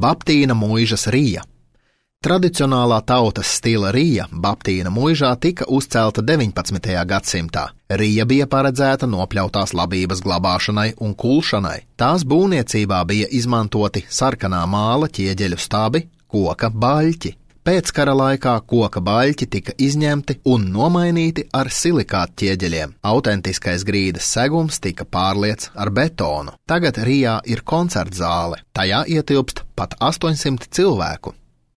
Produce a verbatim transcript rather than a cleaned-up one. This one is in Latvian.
Baptīna muižas Rija. Tradicionālā tautas stila Rija Baptīna muižā tika uzcelta deviņpadsmitajā gadsimtā. Rija bija paredzēta nopļautās labības glabāšanai un kulšanai. Tās būvniecībā bija izmantoti sarkanā māla ķieģeļu stabi, koka baļķi. Pēckara laikā koka baļķi tika izņemti un nomainīti ar silikāta ķieģeļiem. Autentiskais grīdas segums tika pārliets ar betonu. Tagad Rijā ir koncertzāle. Tajā ietilpst pat astoņsimt cilvēku.